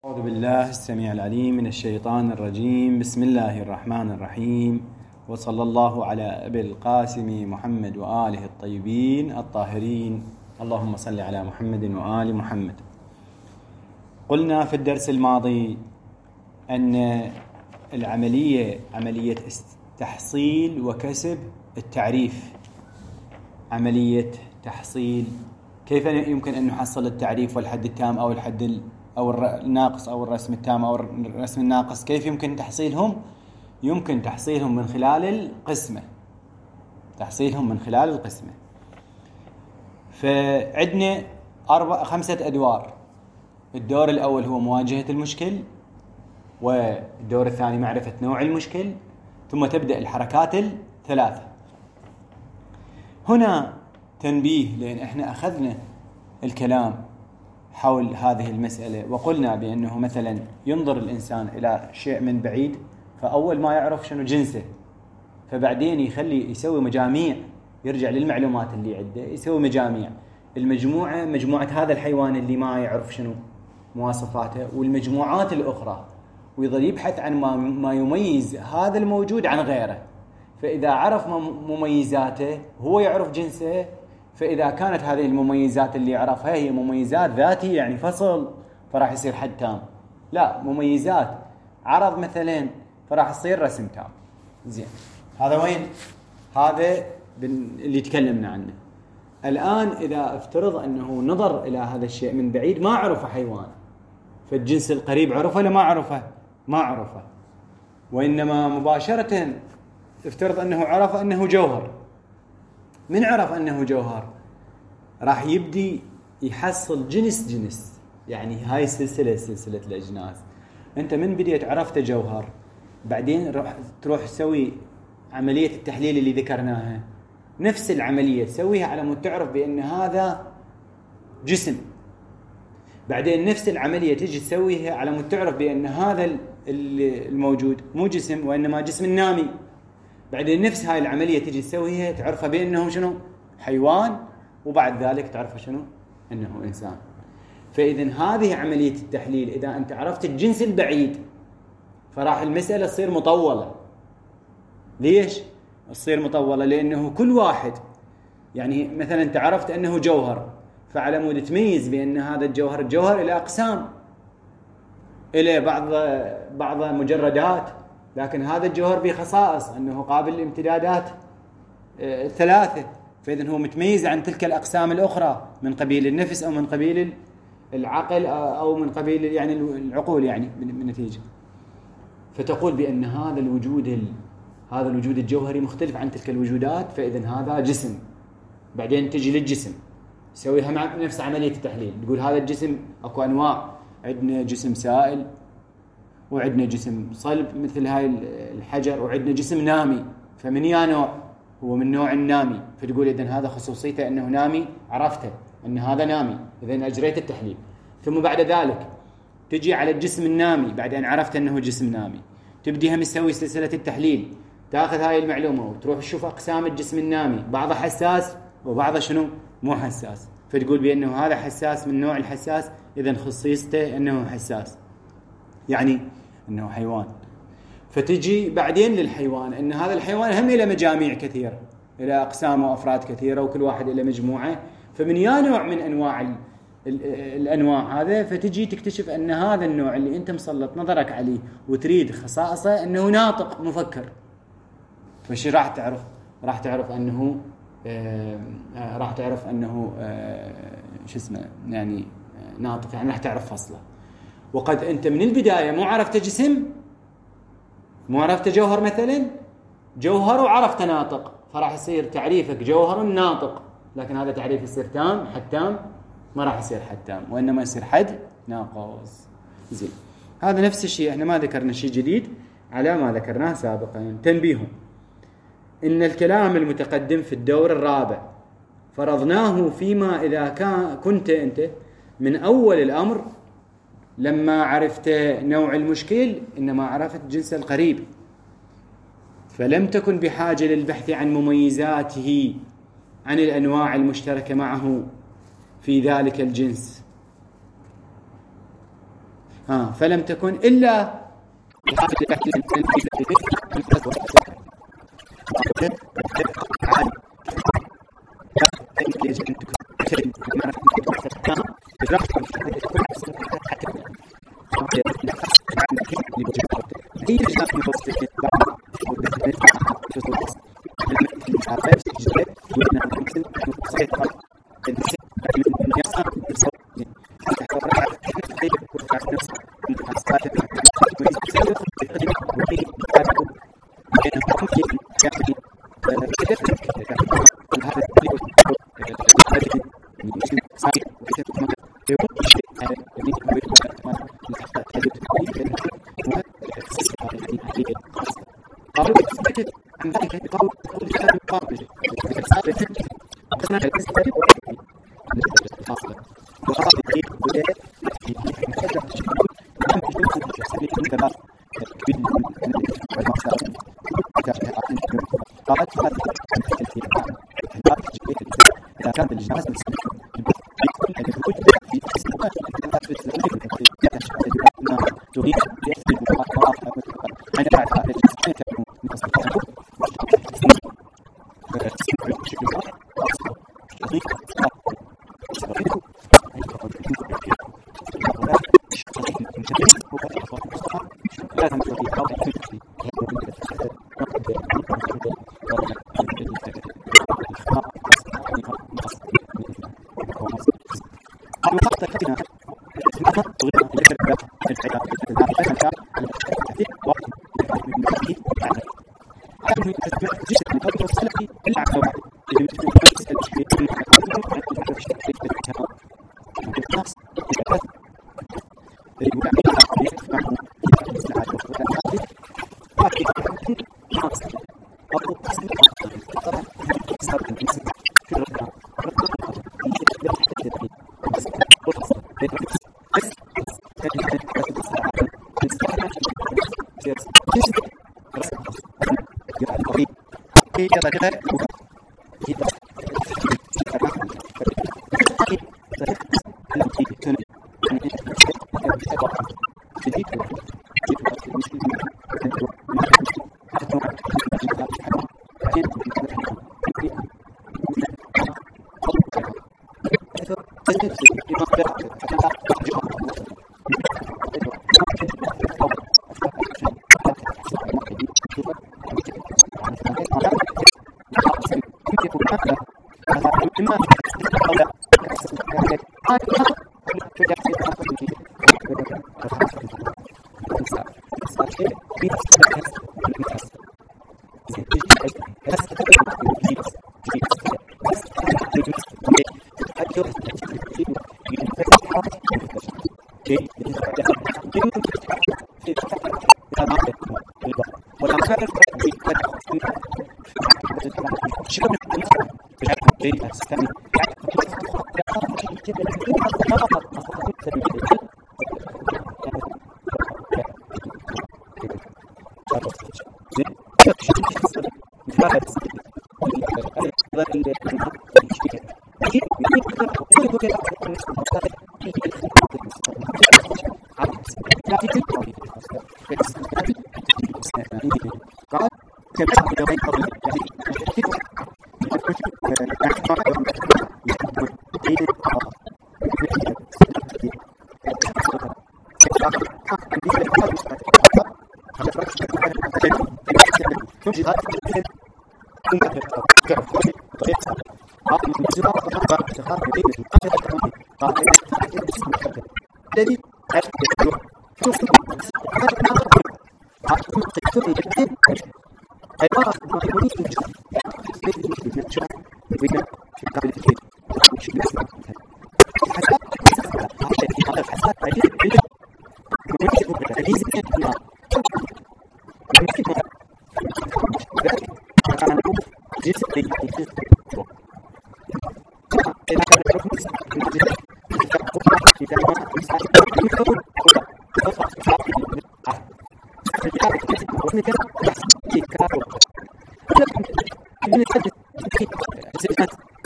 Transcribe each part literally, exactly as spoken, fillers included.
أعوذ بالله السميع العليم من الشيطان الرجيم. بسم الله الرحمن الرحيم، وصلى الله على أبي القاسم محمد وآله الطيبين الطاهرين. اللهم صل على محمد وآل محمد. قلنا في الدرس الماضي أن العملية عملية تحصيل وكسب التعريف. عملية تحصيل، كيف يمكن أن نحصل التعريف والحد التام أو الحد أو الناقص أو الرسم التام أو الرسم الناقص؟ كيف يمكن تحصيلهم؟ يمكن تحصيلهم من خلال القسمة. تحصيلهم من خلال القسمة. فعندنا أربع خمسة أدوار. الدور الأول هو مواجهة المشكل، والدور الثاني معرفة نوع المشكل، ثم تبدأ الحركات الثلاثة. هنا تنبيه، لأن احنا أخذنا الكلام حول هذه المسألة وقلنا بأنه مثلا ينظر الإنسان إلى شيء من بعيد، فأول ما يعرف شنو جنسه، فبعدين يخلي يسوي مجاميع، يرجع للمعلومات اللي عنده يسوي مجاميع. المجموعة مجموعة هذا الحيوان اللي ما يعرف شنو مواصفاته، والمجموعات الأخرى، ويظل يبحث عن ما, ما يميز هذا الموجود عن غيره. فإذا عرف مميزاته هو يعرف جنسه، فإذا كانت هذه المميزات اللي يعرفها هي مميزات ذاتية يعني فصل، فراح يصير حد تام. لا، مميزات عرض مثلا، فراح يصير رسم تام. زين، هذا وين؟ هذا اللي تكلمنا عنه. الآن إذا افترض أنه نظر إلى هذا الشيء من بعيد ما عرفه حيوان، فالجنس القريب عرفه ولا ما عرفه؟ ما عرفه. وإنما مباشرة افترض أنه عرف أنه جوهر. من عرف أنه جوهر راح يبدي يحصل جنس جنس، يعني هاي سلسلة سلسلة الأجناس. أنت من بديت عرفت جوهر، بعدين روح تروح تسوي عملية التحليل اللي ذكرناها، نفس العملية تسويها على مود تعرف بأن هذا جسم. بعدين نفس العملية تيجي تسويها على مود تعرف بأن هذا الموجود مو جسم وإنما جسم نامي. بعدين نفس هاي العملية تيجي تسويها تعرفها بأنه شنو حيوان، وبعد ذلك تعرفها شنو أنه إنسان. فإذن هذه عملية التحليل. إذا أنت عرفت الجنس البعيد فراح المسألة تصير مطولة. ليش تصير مطولة؟ لأنه كل واحد، يعني مثلا أنت عرفت أنه جوهر، فعلى مود تميز بأن هذا الجوهر الجوهر إلى أقسام، إلى بعض بعض مجردات، لكن هذا الجوهر بخصائص أنه قابل للامتدادات ثلاثة. فإذن هو متميز عن تلك الأقسام الأخرى من قبيل النفس أو من قبيل العقل أو من قبيل يعني العقول، يعني من نتيجة. فتقول بأن هذا الوجود هذا الوجود الجوهري مختلف عن تلك الوجودات، فإذن هذا جسم. بعدين تجي للجسم تسويها مع نفس عملية التحليل، تقول هذا الجسم أكو أنواع، عندنا جسم سائل، وعندنا جسم صلب مثل هاي الحجر، وعندنا جسم نامي. فمن يا نوع؟ هو من نوع النامي. فتقول إذن هذا خصوصيته أنه نامي، عرفته أن هذا نامي، إذن أجريت التحليل. ثم بعد ذلك تجي على الجسم النامي، بعد أن عرفت أنه جسم نامي تبديها مسوي سلسلة التحليل، تأخذ هاي المعلومة وتروح تشوف أقسام الجسم النامي، بعضها حساس وبعضها شنو مو حساس. فتقول بأنه هذا حساس من نوع الحساس، إذن خصيصته أنه حساس، يعني أنه حيوان. فتجي بعدين للحيوان، أن هذا الحيوان هم إلى مجاميع كثيرة، إلى أقسام وأفراد كثيرة، وكل واحد إلى مجموعة. فمن يا نوع من أنواع ال ال الأنواع هذا، فتجي تكتشف أن هذا النوع اللي أنت مسلط نظرك عليه وتريد خصائصه أنه ناطق مفكر. فشي راح تعرف؟ راح تعرف أنه آه راح تعرف أنه آه شو اسمه يعني آه ناطق، يعني راح تعرف فصله. وقد أنت من البداية مو عرفت جسم، مو عرفت جوهر مثلا، جوهر وعرفت ناطق، فراح يصير تعريفك جوهر ناطق، لكن هذا تعريف يصير تام حد تام؟ ما راح يصير حد تام، وإنما يصير حد ناقص. زين، هذا نفس الشيء، احنا ما ذكرنا شيء جديد على ما ذكرناه سابقا. تنبيه: إن الكلام المتقدم في الدور الرابع فرضناه فيما إذا كان كنت أنت من أول الأمر لما عرفت نوع المشكل إنما عرفت جنس القريب، فلم تكن بحاجة للبحث عن مميزاته عن الأنواع المشتركة معه في ذلك الجنس. ها فلم تكن إلا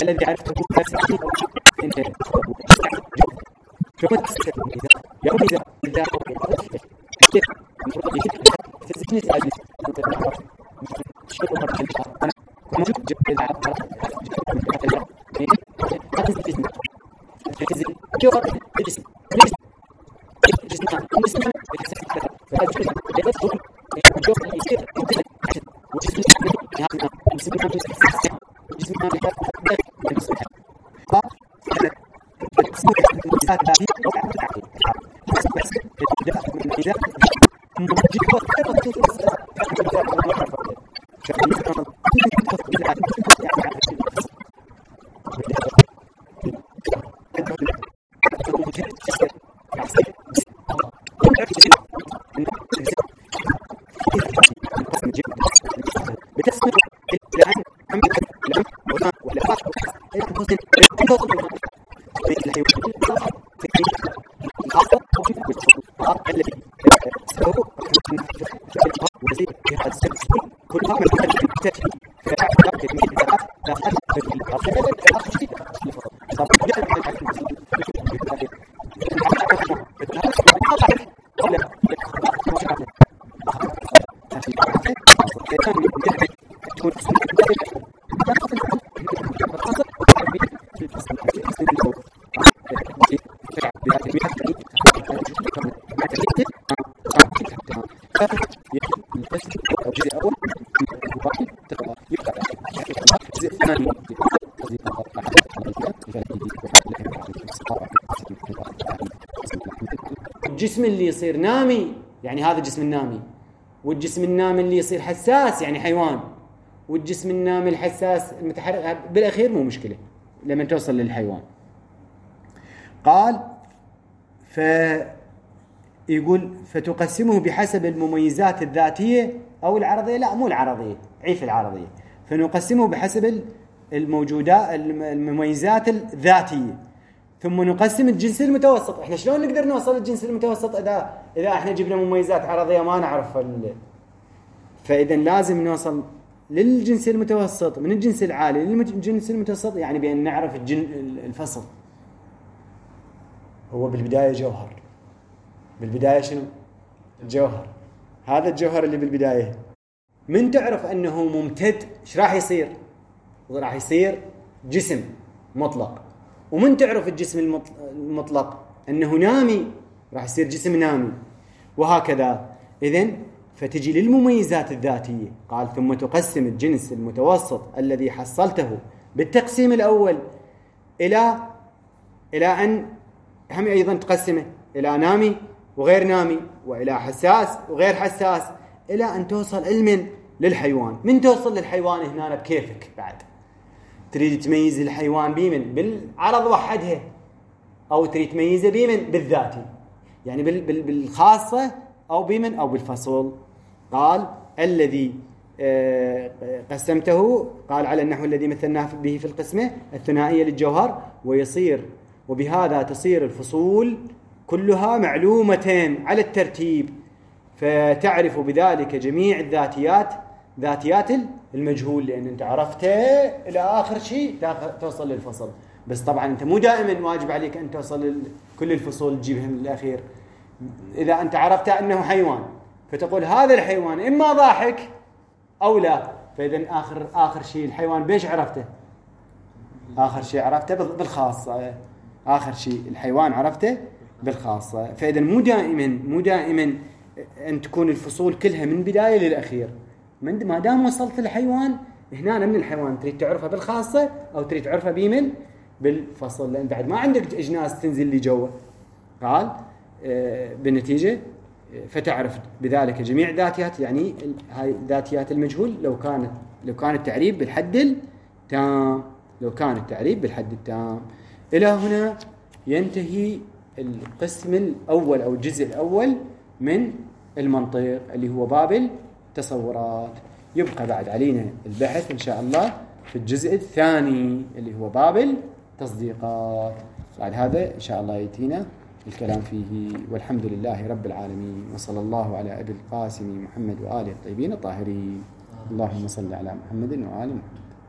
الذي عرفته يوم إذا إذا الجسم اللي يصير نامي يعني هذا الجسم النامي، والجسم النامي اللي يصير حساس يعني حيوان، والجسم النامي الحساس المتحرك بالأخير مو مشكلة لما توصل للحيوان. قال فيقول فتقسمه بحسب المميزات الذاتية أو العرضية، لا مو العرضية، عيف العرضية، فنقسمه بحسب الموجودات المميزات الذاتية، ثم نقسم الجنس المتوسط. احنا شلون نقدر نوصل للجنس المتوسط اذا اذا احنا جبنا مميزات عرضيه ما نعرف ال... فاذا لازم نوصل للجنس المتوسط من الجنس العالي للجنس المتوسط، يعني بان نعرف الجن... الفصل. هو بالبدايه جوهر، بالبدايه شنو؟ جوهر. هذا الجوهر اللي بالبدايه من تعرف انه ممتد ايش راح يصير؟ راح يصير جسم مطلق. ومن تعرف الجسم المطلق أنه نامي راح يصير جسم نامي، وهكذا. إذن فتجي للمميزات الذاتية. قال ثم تقسم الجنس المتوسط الذي حصلته بالتقسيم الأول إلى إلى أن هم أيضا تقسمه إلى نامي وغير نامي، وإلى حساس وغير حساس، إلى أن توصل علما للحيوان. من توصل للحيوان هنا بكيفك بعد. تريد تميز الحيوان بيمن بالعرض وحدها، أو تريد تميزه بيمن بالذاتي، يعني بالخاصة أو بيمن أو بالفصل. قال الذي قسمته، قال على النحو الذي مثلناه به في القسمة الثنائية للجوهر، ويصير وبهذا تصير الفصول كلها معلومة على الترتيب، فتعرف بذلك جميع الذاتيات ذاتيات المجهول، لأن أنت عرفته إلى آخر شيء توصل للفصل. بس طبعا أنت مو دائما واجب عليك أن توصل كل الفصول تجيبهم للأخير. إذا أنت عرفت أنه حيوان فتقول هذا الحيوان إما ضاحك أو لا، فإذا آخر آخر شيء الحيوان بيش عرفته؟ آخر شيء عرفته بالخاصة. آخر شيء الحيوان عرفته بالخاصة. فإذا مو دائما مو دائما أن تكون الفصول كلها من بداية للأخير. من ما دام وصلت للحيوان هنا من الحيوان تريد تعرفها بالخاصة أو تريد تعرفها بيمن بالفصل، لأن بعد ما عندك أجناس تنزل لي جوا. قال آه بالنتيجة فتعرف بذلك جميع ذاتيات، يعني هاي ذاتيات المجهول لو كانت لو كان التعريب بالحد التام لو كان التعريب بالحد التام. إلى هنا ينتهي القسم الأول أو الجزء الأول من المنطق اللي هو باب التصورات. يبقى بعد علينا البحث إن شاء الله في الجزء الثاني اللي هو باب التصديقات. بعد هذا إن شاء الله يأتينا الكلام فيه. والحمد لله رب العالمين، وصلى الله على أبي القاسم محمد وآله الطيبين الطاهرين. اللهم صل على محمد وآل محمد.